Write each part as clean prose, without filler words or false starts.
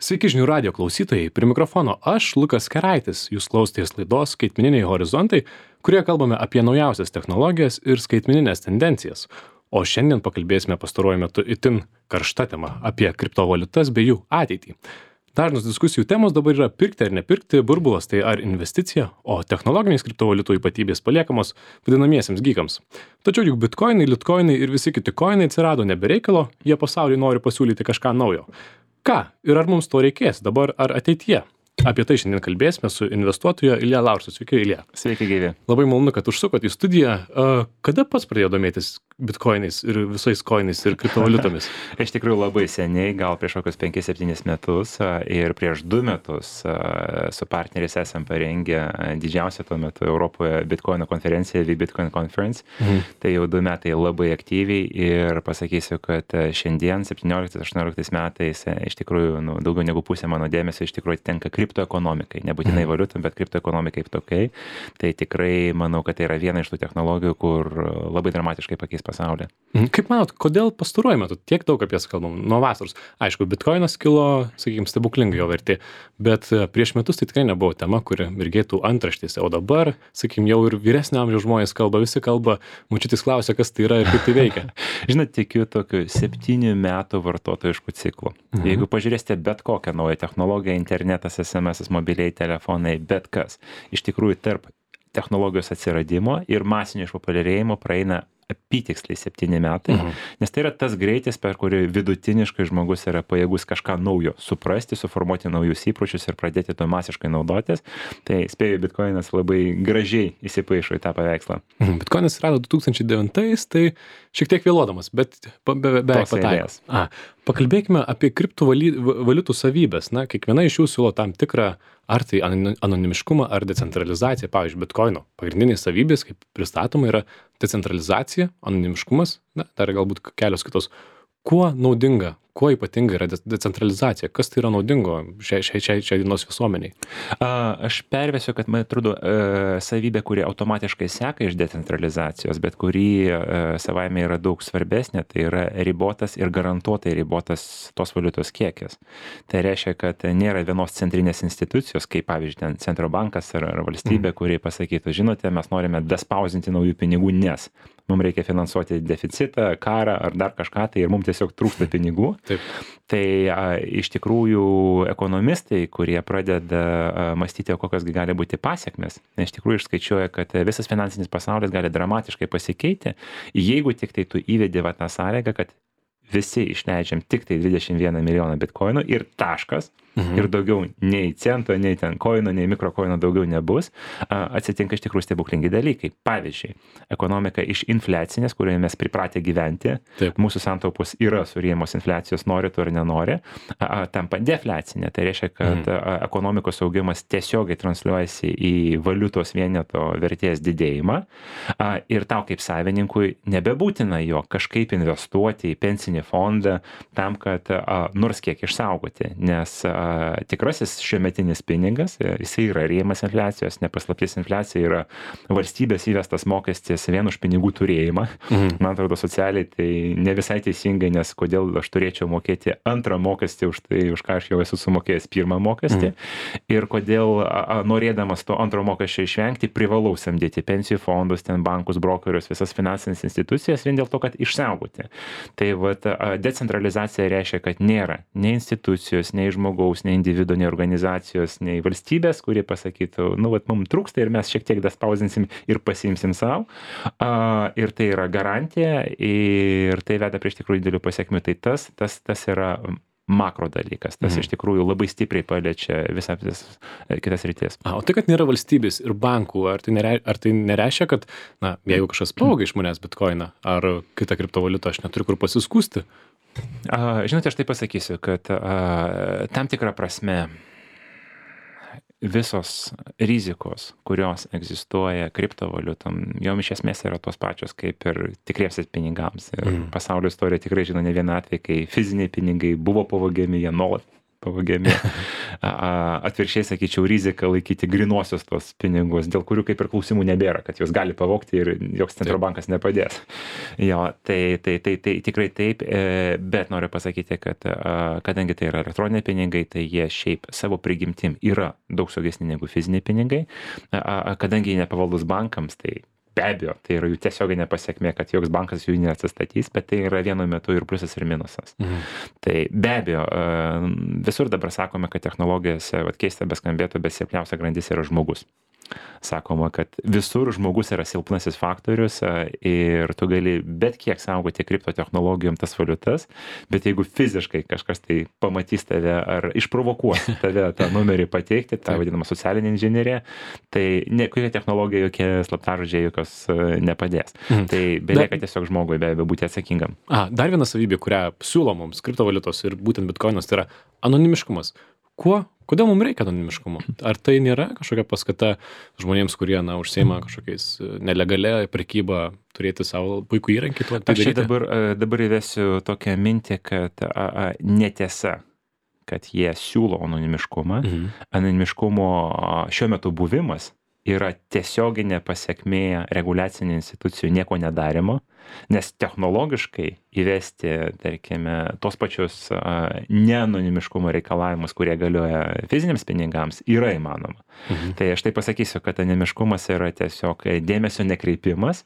Sveiki žinių radio klausytojai, prie mikrofono aš, Lukas Keraitis, jūs klausotės laidos Skaitmeniniai horizontai, kurioje kalbame apie naujausias technologijas ir skaitmeninės tendencijas. O šiandien pakalbėsime pastaruoju metu itin karšta tema apie kriptovaliutas bei jų ateitį. Dažnos diskusijų temos dabar yra pirkti ar nepirkti, burbulas tai ar investicija, o technologinės kriptovaliutų ypatybės paliekamos vadinamiesiems gykams. Tačiau juk bitkoinai, litkoinai ir visi kiti koinai atsirado nebe reikalo, jie pasauliui nori pasiūlyti kažką naujo. Ką ir ar mums to reikės dabar ar ateityje? Apie tai šiandien kalbėsime su investuotoju Ilja Laursu. Sveiki, Ilja. Sveiki, gyvi. Labai malonu, kad užsukot į studiją. Kada pats pradėjo domėtis bitkoinais ir visais koinais ir kriptovaliutomis? Iš tikrųjų labai seniai, gal prieš kokius 5-7 metus ir prieš 2 metus su partneriais esam parengę didžiausią tuo metu Europoje bitkoino konferenciją, Bitcoin Conference. Tai jau 2 metai labai aktyviai ir pasakysiu, kad šiandien 17-18 metais iš tikrųjų daugiau negu pusė mano dėmesio iš tikrųjų tenka kriptoekonomikai, nebūtinai valiutom, bet kriptoekonomikai kaip tokiai. Tai tikrai manau, kad tai yra viena iš tų technologijų, kur labai dramatiškai pakeis pasaulį. Kaip manot, kodėl pastaruoju metu tiek daug apie jas kalbam? Nuo vasaros. Aišku, bitkoinas kilo, sakykime, stebuklingai jo vertė, bet prieš metus tai tikrai nebuvo tema, kuri mirgėtų antraštėse. O dabar, sakykime, jau ir vyresnio amžiaus žmonės kalba, visi kalba, močiutės klausia, kas tai yra ir kaip tai veikia. Žinot, tikiu tokiu 7 metų vartotojiškų ciklų. Jeigu pažiūrėsite bet kokią naują technologiją, internetas, SMS, mobiliai telefonai, bet kas, iš tikrųjų tarp technologijos atsiradimo ir masinio išpopuliarėjimo praeina apytiksliai 7 metai, nes tai yra tas greitis, per kurį vidutiniškai žmogus yra pajėgus kažką naujo suprasti, suformuoti naujus įpročius ir pradėti to masiškai naudotis. Tai spėju, bitkoinas labai gražiai įsipaišo į tą paveikslą. Bitkoinas rado 2009, tai šiek tiek vėluodamas, bet beveik pataikęs. Pakalbėkime apie kriptovaliutų savybės. Na, kiekviena iš jų siūlo tam tikrą ar tai anonimiškumą, ar decentralizaciją. Pavyzdžiui, bitkoino pagrindinės savybės, kaip pristatoma, yra decentralizacija, anonimiškumas, na, dar galbūt kelios kitos. Kuo naudinga, kuo ypatinga yra decentralizacija? Kas tai yra naudingo šiai dienos visuomeniai? Aš pervesiu, kad man atrodo savybė, kuri automatiškai seka iš decentralizacijos, bet kuri savaime yra daug svarbesnė, tai yra ribotas ir garantuotai ribotas tos valiutos kiekis. Tai reiškia, kad nėra vienos centrinės institucijos, kaip pavyzdžiui, ten centro bankas ar valstybė, kuri pasakytų, žinote, mes norime despausinti naujų pinigų, nes mums reikia finansuoti deficitą, karą ar dar kažką, tai ir mums tiesiog trūksta pinigų. Taip. Tai iš tikrųjų ekonomistai, kurie pradeda mąstyti, kokios gali būti pasiekmes, iš tikrųjų išskaičiuoja, kad visas finansinis pasaulis gali dramatiškai pasikeiti, jeigu tik tai tu įvedi tą sąlygą, kad visi išleidžiam tik tai 21 milijoną bitkoinų ir taškas, ir daugiau nei cento, nei ten koino, nei mikrokoino daugiau nebus, atsitinka iš tikrųjų stebuklingi dalykai. Pavyzdžiui, ekonomika iš infliacinės, kurioje mes pripratę gyventi, Taip. Mūsų santaupos yra suryjamos infliacijos, nori tu ar nenori, tampa defliacinė. Tai reiškia, kad ekonomikos augimas tiesiogiai transliuojasi į valiutos vieneto vertės didėjimą ir tau kaip savininkui nebebūtina jo kažkaip investuoti į pensinį fondą tam, kad nors kiek išsaugoti, nes tikrasis šiuometinis pinigas, jisai yra rėmas infliacijos, nepaslaptis infliacija yra valstybės įvestas mokestis vien už pinigų turėjimą. Man atrodo, socialiai tai ne visai teisingai, nes kodėl aš turėčiau mokėti antrą mokestį už tai, už ką aš jau esu sumokėjęs pirmą mokestį, ir kodėl norėdamas to antro mokesčio išvengti, privalau samdyti pensijų fondus, ten bankus, brokerius, visas finansinės institucijas vien dėl to, kad išsaugoti. Tai decentralizacija reiškia, kad nėra nei institucijos, nei žmogaus, nei individo, nei organizacijos, nei valstybės, kurie pasakytų, mums trūksta ir mes šiek tiek despausinsim ir pasiimsim savo. Ir tai yra garantija ir tai veda prie iš tikrųjų didelių pasiekmių. Tai tas yra makro dalykas. Tas iš tikrųjų labai stipriai paliečia visas kitas rytis. O tai, kad nėra valstybės ir bankų, ar tai nereiškia, kad, jeigu kažkas pavogia iš manęs bitkoiną ar kitą kriptovaliutą, aš neturiu kur pasiskųsti? Žinote, aš tai pasakysiu, kad tam tikrą prasme visos rizikos, kurios egzistuoja kriptovaliutom, jom iš esmės yra tos pačios kaip ir tikriesiais pinigams. Ir pasaulio istorija tikrai žino ne vieną atvejį, kai fiziniai pinigai buvo pavogiami, jie nuolat pavogiami. Atvirkščiai, sakyčiau, rizika laikyti grinuosius tos pinigus, dėl kurių kaip ir klausimų nebėra, kad juos gali pavogti ir joks centro bankas nepadės. Jo, tai tikrai taip, bet noriu pasakyti, kad kadangi tai yra elektroniniai pinigai, tai jie šiaip savo prigimtim yra daug saugesni negu fiziniai pinigai, kadangi jie nepavaldus bankams, tai be abejo, tai yra jų tiesioginė pasiekmė, kad joks bankas jų neatsistatys, bet tai yra vienu metu ir pliusas ir minusas. Tai be abejo, visur dabar sakome, kad technologijose, keista beskambėtų, bet silpniausia grandis yra žmogus. Sakoma, kad visur žmogus yra silpnasis faktorius ir tu gali bet kiek saugoti kriptotechnologijom tas valiutas, bet jeigu fiziškai kažkas tai pamatys tave ar išprovokuos tave tą numerį pateikti, tą vadinamą socialinę inžineriją, tai kokia technologija, jokie slaptažodžiai jokios nepadės. Tai belieka tiesiog žmogui be abejo būti atsakingam. Dar viena savybė, kurią siūlo mums kriptovaliutos ir būtent bitkoinas, tai yra anonimiškumas. Kodėl mums reikia anonimiškumo? Ar tai nėra kažkokia paskata žmonėms, kurie, užsiima kažkokiais nelegalia prekyba, turėti savo puikų įrankį? Aš čia dabar įvesiu tokią mintį, kad netiesa, kad jie siūlo anonimiškumą. Anonimiškumo šiuo metu buvimas yra tiesioginė pasiekmė reguliacinių institucijų nieko nedarimo, nes technologiškai įvesti, tarkime, tos pačius neanonimiškumo reikalavimus, kurie galioja fiziniams pinigams, yra įmanoma. Tai aš tai pasakysiu, kad anonimiškumas yra tiesiog dėmesio nekreipimas,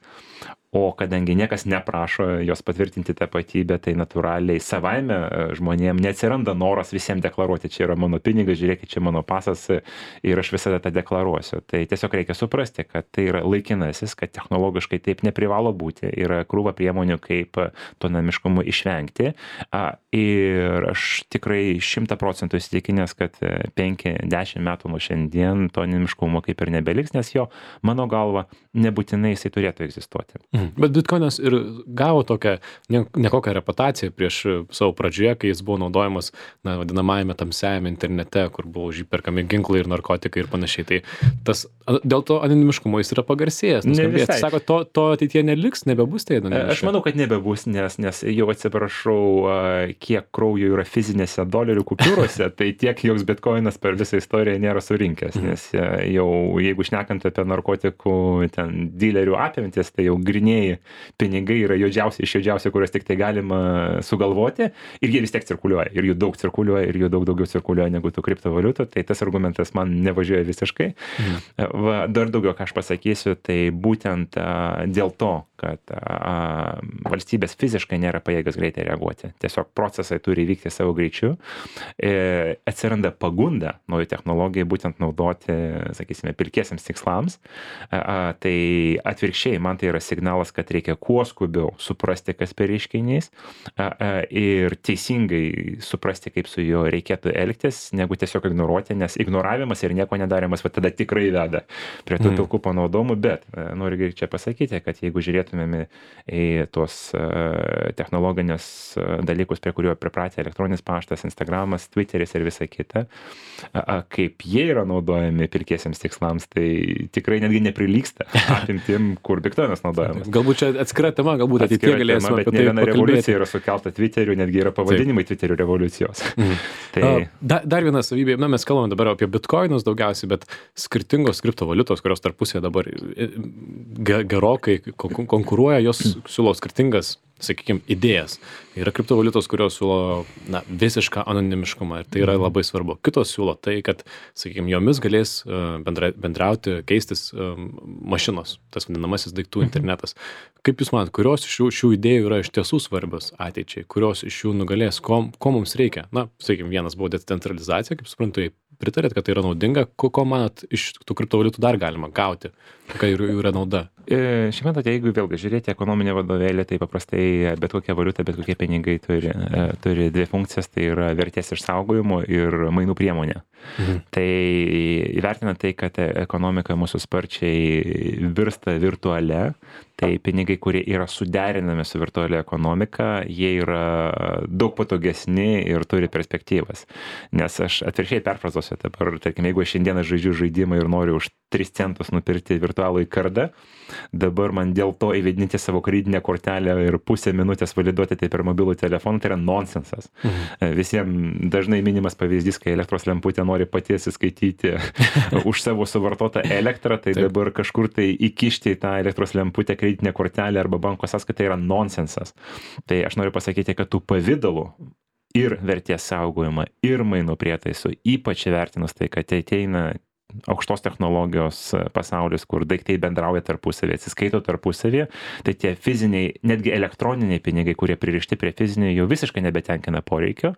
o kadangi niekas neprašo jos patvirtinti tapatybę, tai natūraliai savaime žmonėm neatsiranda noras visiems deklaruoti, čia yra mano pinigas, žiūrėkit, čia mano pasas ir aš visada tą deklaruosiu. Tai tiesiog reikia suprasti, kad tai yra laikinasis, kad technologiškai taip neprivalo būti, yra krūva priemonių, kaip to anonimiškumo išvengti. Ir aš tikrai 100% įsitikinęs, kad 5-10 metų nuo šiandien to anonimiškumo kaip ir nebeliks, nes jo, mano galva, nebūtinai jisai turėtų egzistuoti. Bet bitkoinas ir gavo tokią nekokią reputaciją prieš savo pradžioje, kai jis buvo naudojamas vadinamajame tamsiajame internete, kur buvo užperkami ginklai ir narkotikai ir panašiai. Tai dėl to anonimiškumo jis yra pagarsėjęs. Sako, to ateityje neliks, nebebus tai anonimiška. Aš manau, kad nebebus, nes jau atsiprašau, kiek kraujo yra fizinėse dolerių kupiūrose, tai tiek joks bitkoinas per visą istoriją nėra surinkęs, nes jau jeigu šnekant apie narkotikų ten dilerių apimtis, tai jau grinėjai pinigai yra juodžiausi iš juodžiausių, kuriuos tik tai galima sugalvoti, ir jie vis tiek cirkuliuoja, ir jų daug cirkuliuoja, ir jų daug daugiau cirkuliuoja negu tų kriptovaliutų, tai tas argumentas man nevažiuoja visiškai. Dar daugiau, ką aš pasakysiu, tai būtent dėl to, kad valstybės fiziškai nėra pajėgios greitai reaguoti. Tiesiog procesai turi vykti savo greičiu. Atsiranda pagunda naujų technologijų būtent naudoti, sakysime, pilkiesiams tikslams. Tai atvirkščiai, man tai yra signalas, kad reikia kuo skubiau suprasti, kas per reiškinys, ir teisingai suprasti, kaip su juo reikėtų elgtis, negu tiesiog ignoruoti, nes ignoravimas ir nieko nedarimas tada tikrai veda prie tų pilkų panaudojimų, bet noriu čia pasakyti, kad jeigu žiūrėtumėme į tuos technologinius dalykus, prie kuriuo pripratę elektroninis paštas, Instagramas, Twitteris ir visa kita, kaip jie yra naudojami pilkiesiams tikslams, tai tikrai netgi neprilygsta apimtim, kur bitkoinas naudojamas. Galbūt čia atskira tema, galbūt ateityje galėsime apie tai pakalbėti. Bet ne viena revoliucija yra sukelta Twitteriu, netgi yra pavadinimai Twitterių revoliucijos. Dar viena savybė, mes kalbame dabar apie bitkoinus daugiausiai, bet skirtingos kriptovaliutos, kurios tarpusėje dabar gerokai konkuruoja, jos siūlo skirtingas, sakykime, idėjas. Yra kriptovaliutos, kurios siūlo visišką anonimiškumą ir tai yra labai svarbu. Kitos siūlo tai, kad, sakykime, jomis galės bendrauti, keistis mašinos, tas vadinamasis daiktų internetas. Kaip Jūs manat, kurios iš šių idėjų yra iš tiesų svarbios ateičiai, kurios iš jų nugalės, ko mums reikia? Sakykime, vienas buvo decentralizacija, kaip suprantu, pritarėt, kad tai yra naudinga, ko manat iš tų kriptovaliutų dar galima gauti, kokia jų yra nauda? Šiaip matote, jeigu vėlgi žiūrėti ekonominę vadovėlį, tai paprastai bet kokia valiuta, bet kokie pinigai turi dvi funkcijas, tai yra vertės išsaugojimo ir mainų priemonė. Tai įvertinant tai, kad ekonomika mūsų sparčiai virsta virtualia, tai pinigai, kurie yra suderinami su virtualia ekonomika, jie yra daug patogesni ir turi perspektyvas. Nes aš atvirkščiai perfrazuosiu dabar, tarkim, jeigu aš šiandieną žaidžiu žaidimą ir noriu už 3 centus nupirkti virtualų kardą, dabar man dėl to įvedinti savo kreditinę kortelę ir pusę minutės validuoti tai per mobilų telefoną, tai yra nonsensas. Visiems dažnai minimas pavyzdys, kai elektros lemputė nori pati atsiskaityti už savo suvartotą elektrą, tai dabar kažkur tai įkišti į tą elektros lemputę kreditinę kortelę arba banko sąskaitą yra nonsensas. Tai aš noriu pasakyti, kad tų pavydalų ir vertės saugojimą, ir mainų prietaisų, ypač įvertinus tai, kad ateina aukštos technologijos pasaulis, kur daiktai bendrauja tarpusavį, atsiskaito tarpusavį, tai tie fiziniai, netgi elektroniniai pinigai, kurie pririšti prie fizinių, jau visiškai nebetenkina poreikio.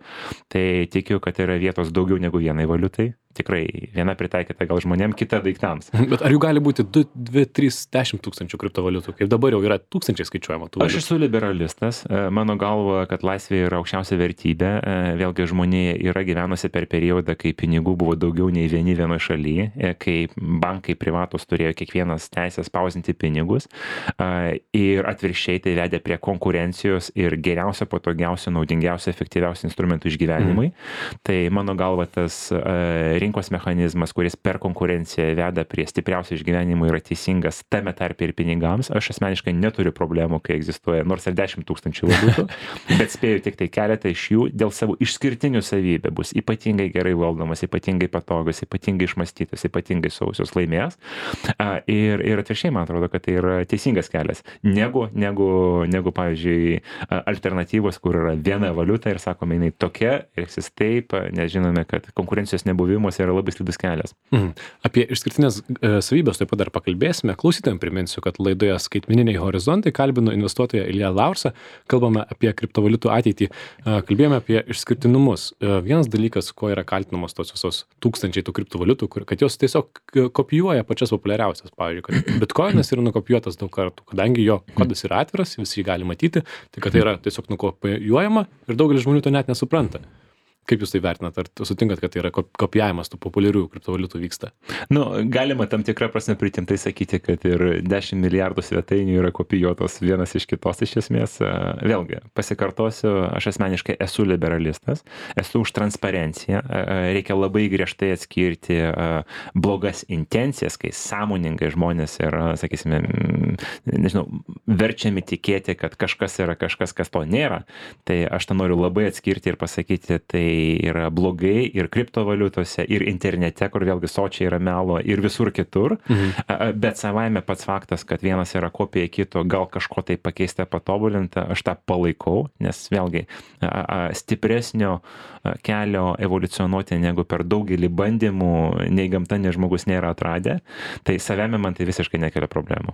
Tai tikiu, kad yra vietos daugiau negu vienai valiutai. Tikrai viena pritaikyta gal žmonėm, kita daiktams. Bet ar jų gali būti 2, 3, 10 tūkstančių kriptovaliutų, kaip dabar jau yra tūkstančiai skaičiuojama tų valiutų? Aš esu liberalistas. Mano galva, kad laisvė yra aukščiausia vertybė. Vėlgi žmonė yra gyvenusi per periodą, kai pinigų buvo daugiau nei vienoje šalyje, kai bankai privatus turėjo kiekvienas teisę spausinti pinigus ir atvirkščiai tai vedė prie konkurencijos ir geriausio, patogiausio, naudingiausio, efektyviausio instrumentų išgyvenimui. Tai mano galva tas rinkos mechanizmas, kuris per konkurenciją veda prie stipriausio išgyvenimo, yra teisingas tame tarpe ir pinigams. Aš asmeniškai neturiu problemų, kai egzistuoja nors ir 10 tūkstančių valiutų, bet spėju tik tai keletą iš jų dėl savo išskirtinių savybių bus ypatingai gerai valdomas, ypatingai patogus, ypatingai išmąstytas, ypatingai sausios laimės. Ir atvirkščiai man atrodo, kad tai yra teisingas kelias. Negu pavyzdžiui, alternatyvos, kur yra viena valiuta ir sakome, jinai tokia, elgsis taip, nes žinome, kad konkurencijos nebuvimas yra labai slidus kelias. Apie išskirtinės savybės taip pat dar pakalbėsime. Klausytojams priminsiu, kad laidoje Skaitmeniniai horizontai kalbinu investuotoją Ilją Laursą. Kalbame apie kriptovaliutų ateitį. Kalbėjome apie išskirtinumus. Vienas dalykas, ko yra kaltinamos tos visos tūkstančiai tų kriptovaliutų, kad jos tiesiog kopijuoja pačias populiariausias. Pavyzdžiui, kad Bitcoinas yra nukopijuotas daug kartų, kadangi jo kodas yra atviras, visi jį gali matyti, tai kad tai yra tiesiog nukopijuojama ir daugelis žmonių to net nesupranta. Kaip jūs tai vertinat? Ar sutinkat, kad tai yra kopijavimas tų populiarių kriptovaliutų vyksta? Galima tam tikrą prasme pritimtai sakyti, kad ir 10 milijardų svetainių yra kopijuotos vienas iš kitos iš esmės. Vėlgi, pasikartosiu, aš asmeniškai esu liberalistas, esu už transparenciją. Reikia labai griežtai atskirti blogas intencijas, kai sąmoningai žmonės yra, sakysime, verčiami tikėti, kad kažkas yra kažkas, kas to nėra. Tai aš tą noriu labai atskirti ir pasakyti, tai yra blogai ir kriptovaliutose, ir internete, kur vėlgi sočiai yra melo, ir visur kitur. Bet savaime pats faktas, kad vienas yra kopija kito, gal kažko tai pakeista, patobulinta, aš tą palaikau, nes vėlgi stipresnio kelio evoliucionuoti negu per daugelį bandymų, nei gamta, nei žmogus nėra atradę, tai savame man tai visiškai nekelia problemų.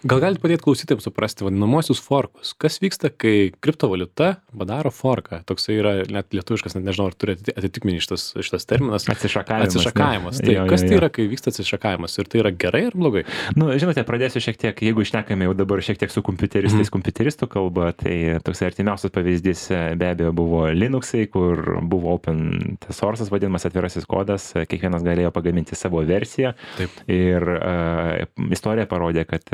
Gal galite padėti klausytėms suprasti vadinamosius forkus? Kas vyksta, kai kriptovaliuta padaro forką? Toksai yra net lietuviškas, nežinau, ar turi atitikmenį šitas terminas. Atsišakavimas. Tai kas tai yra, kai vyksta atsišakavimas? Ir tai yra gerai ar blogai? Žinote, pradėsiu šiek tiek, jeigu išnekame jau dabar šiek tiek su kompiuteristų kalba, tai toks artimiausias pavyzdys be abejo buvo Linuxai, kur buvo open source'as vadinamas atvirasis kodas, kiekvienas galėjo pagaminti savo versiją. Taip. Ir istorija parodė, kad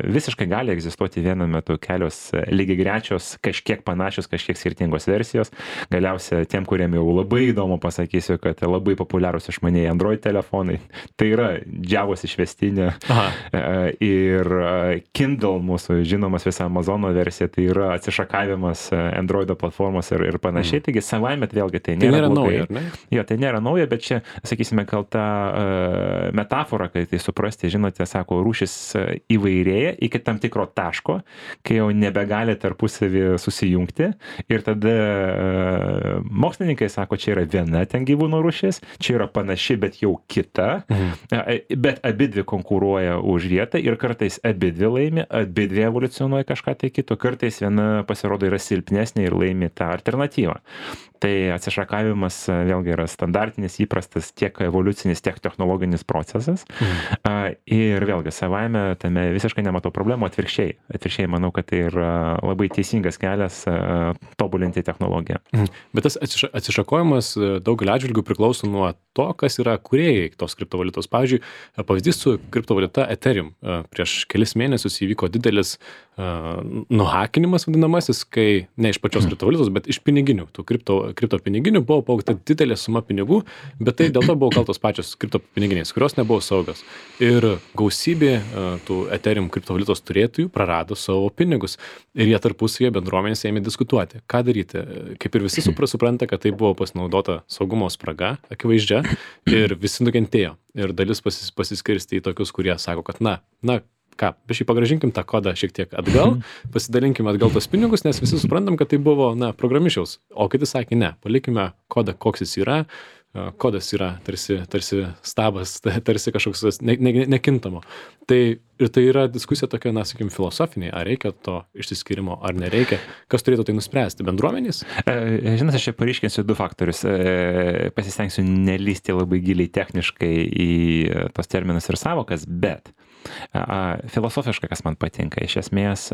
visiškai gali egzistuoti vienu metu kelios lygiagrečios, kažkiek panašios, kažkiek skirtingos versijos. Galiausia, tiem, kuriem jau labai įdomu pasakysiu, kad labai populiarūs išmanieji Android telefonai, tai yra Javos išvestinė. Ir Kindle, mūsų žinomas visa Amazono versija, tai yra atsišakavimas Androido platformos ir panašiai. Taigi savaime vėlgi tai nėra blogai. Nauja, ar ne? Jo, tai nėra nauja, bet čia, sakysime, gal ta metafora, kai tai suprasti, žinote, sako, rūšis įvairėja iki tam tikro taško, kai jau nebegali tarpusavį susijungti ir tada mokslininkai sako, čia yra viena ten gyvūnų rūšis, čia yra panaši, bet jau kita, bet abidvi konkuruoja už vietą ir kartais abidvi laimi, abidvi evoliucionuoja kažką tai kito, kartais viena pasirodo yra silpnesnė ir laimi tą alternatyvą. Tai atsišakavimas vėlgi yra standartinis, įprastas tiek evoliucinis, tiek technologinis procesas. Ir vėlgi savaime tame visiškai nematau problemų, atvirkščiai manau, kad tai yra labai teisingas kelias tobulinti technologiją. Bet tas atsišakojimas daugelio atžvilgių priklauso nuo to, kas yra kūrėjai tos kriptovaliutos. Pavyzdžiui, pavyzdys su kriptovaliuta Ethereum. Prieš kelis mėnesius įvyko didelis nuhakinimas vadinamasis, kai ne iš pačios kriptovaliutos, bet iš piniginių. Tų kripto piniginių buvo pavogta didelė suma pinigų, bet tai dėl to buvo kaltos pačios kripto piniginės, kurios nebuvo saugios. Ir gausybė tų Ethereum kriptovaliutos turėtojų prarado savo pinigus. Ir jie tarpusavyje bendruomenės ėmė diskutuoti, ką daryti. Kaip ir visi supranta, kad tai buvo pasinaudota saugumo spraga, akivaizdžia, ir visi nukentėjo. Ir dalis pasiskirstė į tokius, kurie sako, kad ką, biškai pagrąžinkim tą kodą šiek tiek atgal, pasidalinkim atgal tos pinigus, nes visi suprantam, kad tai buvo, programišiaus. O kiti sakė, ne, palikime kodą, koks jis yra. Kodas yra tarsi stabas, tarsi kažkoks nekintamo. Tai yra diskusija tokia, sakykim, filosofinė, ar reikia to išsiskyrimo, ar nereikia. Kas turėtų tai nuspręsti? Bendruomenės? Žinot, aš čia paryškinsiu 2 faktorius. Pasistengsiu nelysti labai giliai techniškai į tos terminus ir savokas, bet filosofiškai, kas man patinka, iš esmės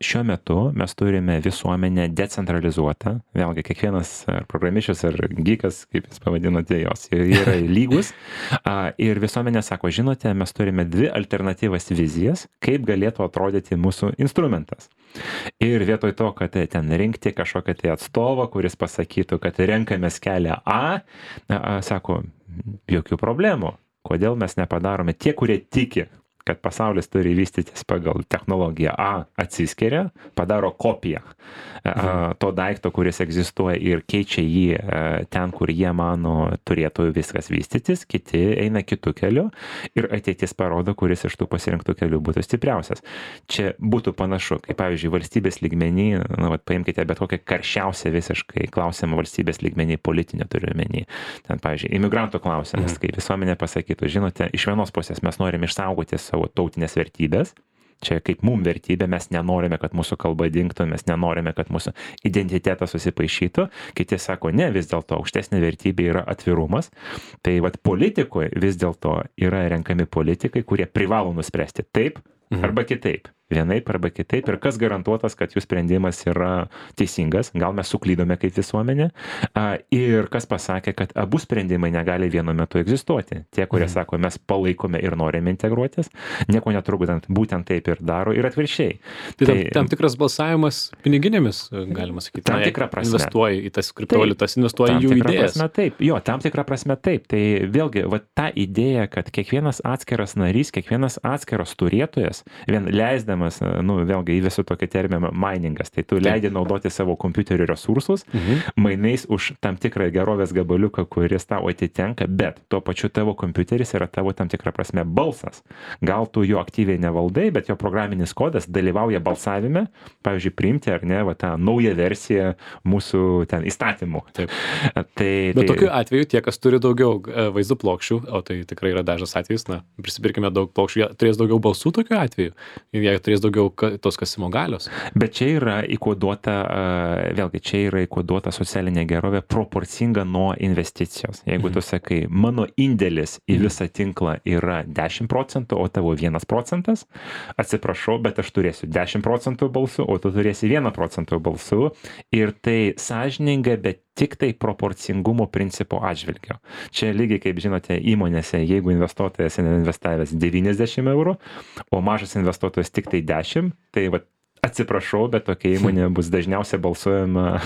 šiuo metu mes turime visuomenę decentralizuotą, vėlgi kiekvienas programišius ar geekas, kaip jūs pavadinote, jos yra lygus, ir visuomenė sako, žinote, mes turime 2 alternatyvas vizijas, kaip galėtų atrodyti mūsų instrumentas. Ir vietoj to, kad ten rinkti kažkokią tai atstovą, kuris pasakytų, kad renkamės kelią A, sako, jokių problemų. Kodėl mes nepadarome tie, kurie tiki, kad pasaulis turi vystytis pagal technologiją A, atsiskiria, padaro kopiją to daikto, kuris egzistuoja ir keičia jį ten, kur jie mano turėtų viskas vystytis, kiti eina kitų kelių ir ateitis parodo, kuris iš tų pasirinktų kelių būtų stipriausias. Čia būtų panašu, kaip pavyzdžiui, valstybės lygmenį, paimkite bet kokią karščiausią visiškai klausimą valstybės lygmenį, politinę turiu menį. Ten, pavyzdžiui, imigrantų klausimas, kai visuomenė pasakytų, žinote, iš vienos pusės mes norime išsaugoti savo tautinės vertybės. Čia kaip mum vertybė, mes nenorime, kad mūsų kalba dingtų, mes nenorime, kad mūsų identitetas susipaišytų. Kiti sako, ne, vis dėlto aukštesnė vertybė yra atvirumas. Tai politikoje vis dėlto yra renkami politikai, kurie privalo nuspręsti taip arba kitaip. Vienaip arba kitaip. Ir kas garantuotas, kad jų sprendimas yra teisingas. Gal mes suklydome kaip visuomenė. Ir kas pasakė, kad abu sprendimai negali vienu metu egzistuoti. Tie, kurie sako, mes palaikome ir norime integruotis, nieko netrukdant, būtent taip ir daro ir atvirkščiai. Tai tam tikras balsavimas piniginėmis, galima sakyti. Tam tikrą prasme. Investuoja į tas kriptovaliutas, investuoja į jų idėjas. Tam tikrą prasme taip. Tai vėlgi, ta idėja, kad kiekvienas atskiras narys, kiekvienas atskiras turėtojas, vien leisdamas, vėlgi įvesiu tokį terminą miningas, tai tu leidi naudoti savo kompiuterio resursus, mainais už tam tikrą gerovės gabaliuką, kuris tau atitenka, bet tuo pačiu tavo kompiuteris yra tavo tam tikrą prasme balsas. Gal tu jo aktyviai nevaldai, bet jo programinis kodas dalyvauja balsavime, pavyzdžiui, priimti ar ne, tą naują versiją mūsų ten įstatymų. Taip. Bet tokiu atveju tie, kas turi daugiau vaizdo plokščių, o tai tikrai yra dažnas atvejis, prisipirkime daug plokščių, jie turės daugiau balsų tokiu atveju. Jie turės daugiau tos kasimo galios. Bet čia yra įkoduota, vėlgi, čia yra įkoduota socialinė gerovė proporcinga nuo investicijos. Jeigu tu sakai, mano indėlis į visą tinklą yra 10%, o tavo 1%, atsiprašau, bet aš turėsiu 10% balsų, o tu turėsi 1% balsų. Ir tai sąžininga, bet tik tai proporcingumo principo atžvilgio. Čia lygiai, kaip žinote, įmonėse, jeigu investuotojas investavęs 90 eurų, o mažas investuotojas tik tai 10, tai atsiprašau, bet tokia įmonė bus dažniausiai balsuojama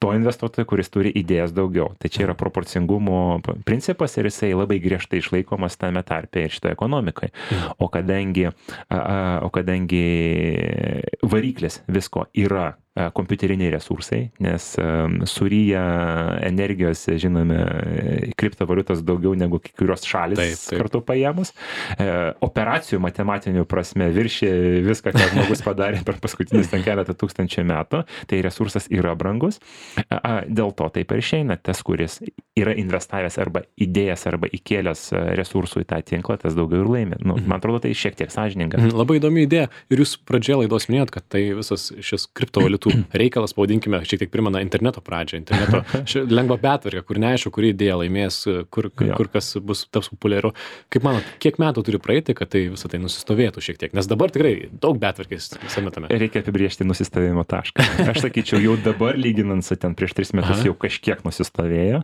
to investuotojo, kuris turi idėjas daugiau. Tai čia yra proporcingumo principas ir jisai labai griežtai išlaikomas tame tarpe ir šitoje ekonomikai. O kadangi variklis visko yra kompiuteriniai resursai, nes suryja energijos, žinome, kriptovaliutos daugiau negu kurios šalis kartu paėmus. Operacijų matematinių prasme viršė viską, ką žmogus padarė per paskutinius keletą tūkstančių metų, tai resursas yra brangus. Dėl to taip ir išeina, tas, kuris yra investavęs arba idėjas, arba įkėlęs resursų į tą tinklą, tas daugiau ir laimi. Man atrodo, tai šiek tiek sąžininga. Labai įdomi idėja. Ir jūs pradžioje laidos minėjot, kad tai visas šis kriptovaliutų kriptovaliutų reikalas, pavadinkime, šiek tiek primena interneto pradžią, interneto lengva betvarkė, kur neaišku, kuri idėja laimės, kur kas taps populiaru. Kaip manot, kiek metų turi praeiti, kad tai visą tai nusistovėtų šiek tiek? Nes dabar tikrai daug betvarkės visame tame. Reikia apibriežti nusistovėjimo tašką. Aš sakyčiau, jau dabar lyginant su ten prieš 3 metus jau kažkiek nusistovėjo.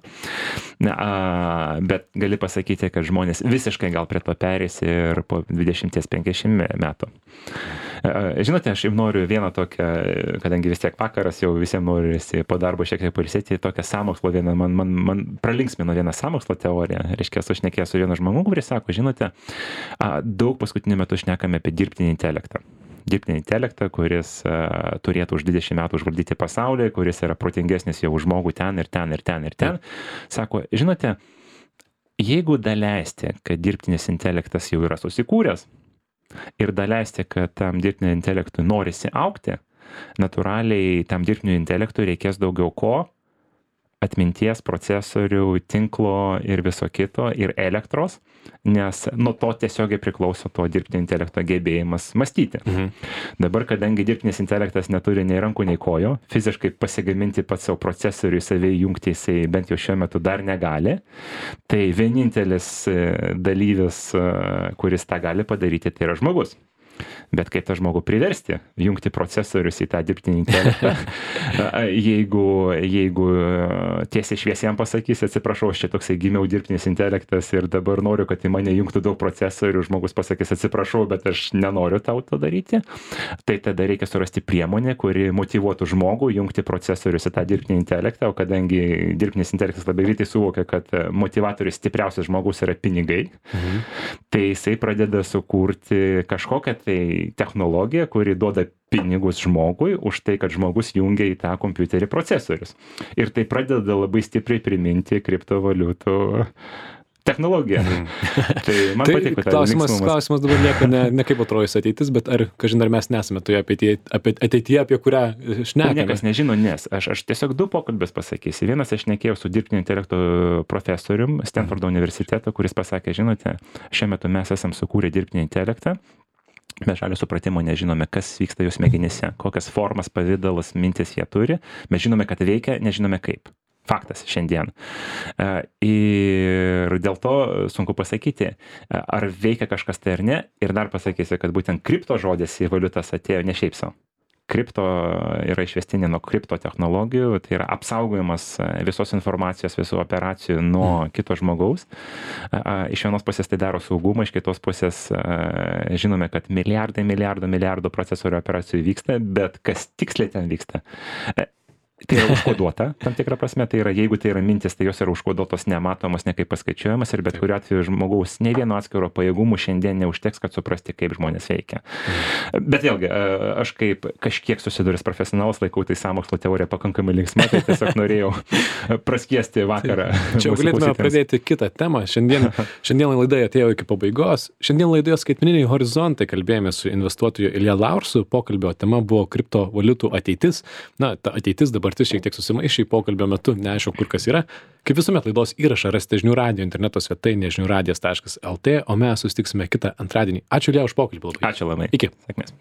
Bet gali pasakyti, kad žmonės visiškai gal prie to perės ir po 20-50 metų. Žinote, aš jau noriu vieną tokią, kadangi vis tiek vakaras jau visiems norisi po darbo šiek tiek pailsėti, tokią sąmokslo vieną, man pralinksmino vieną sąmokslo teoriją. Reiškia, aš šnekėjau su vienu žmogu, kuris sako, žinote, daug paskutiniu metu šnekame apie dirbtinį intelektą. Dirbtinį intelektą, kuris turėtų už 20 metų užvaldyti pasaulį, kuris yra protingesnis jau už žmogų ten ir ten ir ten ir ten. Sako, žinote, jeigu daleisti, kad dirbtinis intelektas jau yra susikūręs ir daleisti, kad tam dirbtiniam intelektui norisi augti, natūraliai tam dirbtiniam intelektui reikės daugiau ko? Atminties, procesorių, tinklo ir viso kito, ir elektros, nes nuo to tiesiogiai priklauso to dirbtinio intelekto gebėjimas mąstyti. Dabar, kadangi dirbtinis intelektas neturi nei rankų, nei kojo, fiziškai pasigaminti pats savo procesorių, savai jungti jisai bent jau šiuo metu dar negali, tai vienintelis dalyvis, kuris tą gali padaryti, tai yra žmogus. Bet kaip tą žmogų priversti, jungti procesorius į tą dirbtinį intelektą, jeigu tiesiai šviesiam pasakys, atsiprašau, aš čia toksai gimiau dirbtinis intelektas ir dabar noriu, kad į mane jungtų daug procesorių, žmogus pasakys, atsiprašau, bet aš nenoriu tau to daryti, tai tada reikia surasti priemonę, kuri motyvuotų žmogų jungti procesorius į tą dirbtinį intelektą, o kadangi dirbtinis intelektas labai greitai suvokia, kad motivatorius stipriausias žmogus yra pinigai, tai jisai pradeda sukurti kažkokią tai technologija, kuri duoda pinigus žmogui už tai, kad žmogus jungia į tą kompiuterį procesorius. Ir tai pradeda labai stipriai priminti kriptovaliutų technologiją. Tai man patiko tą linksmumas. Klausimas dabar lieka ne kaip atrodys ateitis, bet ar mes nesame toje ateityje, apie kurią šnekame. Niekas nežino, nes aš tiesiog 2 pokalbės pasakysiu. Vienas aš šnekėjau su dirbtinio intelekto profesorium Stanfordo universiteto, kuris pasakė, žinote, šiuo metu mes esam sukūrę dirbtinį intelektą, mes žalio supratimo nežinome, kas vyksta jų smegenyse, kokias formas, pavidalas, mintis jie turi, mes žinome, kad veikia, nežinome kaip. Faktas šiandien. Ir dėl to sunku pasakyti, ar veikia kažkas tai ar ne. Ir dar pasakysiu, kad būtent kripto žodis į valiutas atėjo ne šiaip savo. Kripto yra išvestinė nuo kripto technologijų, tai yra apsaugojimas visos informacijos, visų operacijų nuo kito žmogaus. Iš vienos pusės tai daro saugumą, iš kitos pusės žinome, kad milijardų procesorių operacijų vyksta, bet kas tiksliai ten vyksta? Tai yra užkoduota, tam tikrą prasme, tai yra, jeigu tai yra mintis, tai jos yra užkoduotos, nematomos, nekaip paskaičiuojamas ir bet kuriuo atveju žmogaus nei vieno atskiro pajėgumų šiandien neužteks, kad suprasti, kaip žmonės veikia. Bet vėlgi, aš kaip kažkiek susidūręs profesionalas laikau tai sąmokslo teoriją pakankamai linksma, tai tiesiog norėjau praskiesti vakarą. Čia galėtume pradėti kitą temą. Šiandien laida atėjo iki pabaigos. Šiandien laidoje skaitmeniniai horizontai kalbėjome su investuotoju Ilja Laursu. Pokalbio tema buvo kriptovaliutų ateitis. Na, ta ateitis dabartis šiek tiek susimaišė pokalbio metu, neaišku, kur kas yra. Kaip visuomet laidos įrašą rasite žinių radijo interneto svetainėje žiniųradijas.lt, o mes susitiksime kitą antradienį. Ačiū Ilja už pokalbį. Ačiū labai. Iki. Sėkmės.